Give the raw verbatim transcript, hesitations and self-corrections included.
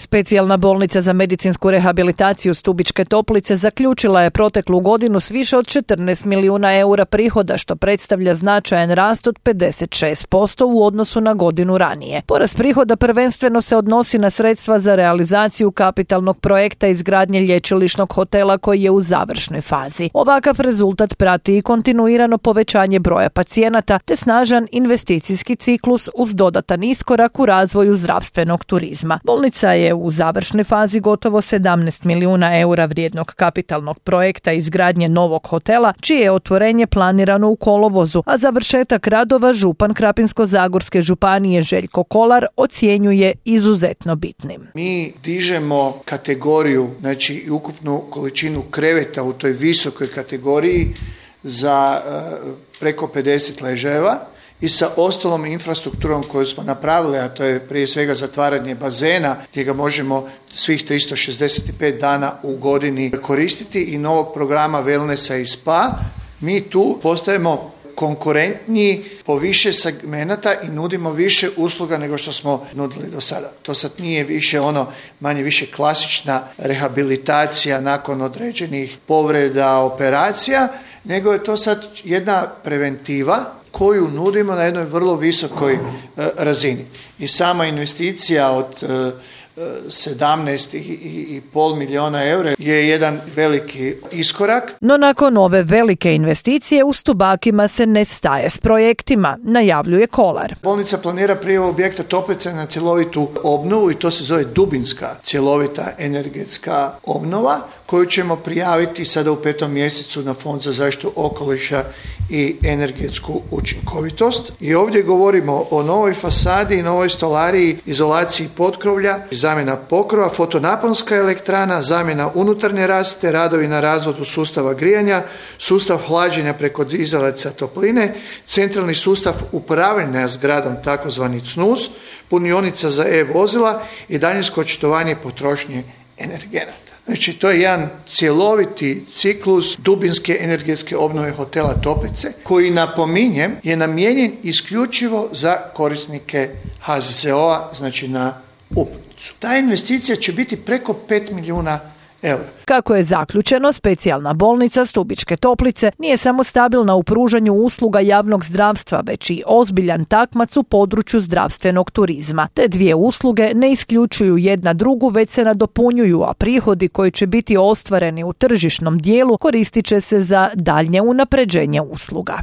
Specijalna bolnica za medicinsku rehabilitaciju Stubičke Toplice zaključila je proteklu godinu s više od četrnaest milijuna eura prihoda, što predstavlja značajan rast od pedeset šest posto u odnosu na godinu ranije. Porast prihoda prvenstveno se odnosi na sredstva za realizaciju kapitalnog projekta izgradnje lječilišnog hotela koji je u završnoj fazi. Ovakav rezultat prati i kontinuirano povećanje broja pacijenata te snažan investicijski ciklus uz dodatan iskorak u razvoju zdravstvenog turizma. Bolnica je u završnoj fazi gotovo sedamnaest milijuna eura vrijednog kapitalnog projekta izgradnje novog hotela, čije je otvorenje planirano u kolovozu, a završetak radova župan Krapinsko-zagorske županije Željko Kolar ocjenjuje izuzetno bitnim. Mi dižemo kategoriju, znači i ukupnu količinu kreveta u toj visokoj kategoriji za uh, preko pedeset ležajeva i sa ostalom infrastrukturom koju smo napravili, a to je prije svega zatvaranje bazena gdje ga možemo svih tristo šezdeset pet dana u godini koristiti i novog programa wellnessa i spa, mi tu postajemo konkurentniji po više segmenata i nudimo više usluga nego što smo nudili do sada. To sad nije više ono manje više klasična rehabilitacija nakon određenih povreda, operacija, nego je to sad jedna preventiva koju nudimo na jednoj vrlo visokoj e, razini. I sama investicija od e, sedamnaest i pol milijuna eura je jedan veliki iskorak. No nakon ove velike investicije u Stubakima se ne staje s projektima, najavljuje Kolar. Bolnica planira prijavu objekta Toplice na cjelovitu obnovu i to se zove dubinska cjelovita energetska obnova koju ćemo prijaviti sada u petom mjesecu na Fond za zaštitu okoliša i energetsku učinkovitost. I ovdje govorimo o novoj fasadi, novoj stolariji, izolaciji potkrovlja, zamjena pokrova, fotonaponska elektrana, zamjena unutarnje rasvjete, radovi na razvodu sustava grijanja, sustav hlađenja preko dizalica topline, centralni sustav upravljanja zgradom takozvani C N U S, punionica za e-vozila i daljinsko očitovanje potrošnje energenata. Znači, to je jedan cjeloviti ciklus dubinske energetske obnove hotela Toplice, koji, napominjem, je namijenjen isključivo za korisnike H Z Z O-a, znači na uputnicu. Ta investicija će biti preko pet milijuna eura. Kako je zaključeno, specijalna bolnica Stubičke Toplice nije samo stabilna u pružanju usluga javnog zdravstva, već i ozbiljan takmac u području zdravstvenog turizma. Te dvije usluge ne isključuju jedna drugu, već se nadopunjuju, a prihodi koji će biti ostvareni u tržišnom dijelu koristit će se za daljnje unapređenje usluga.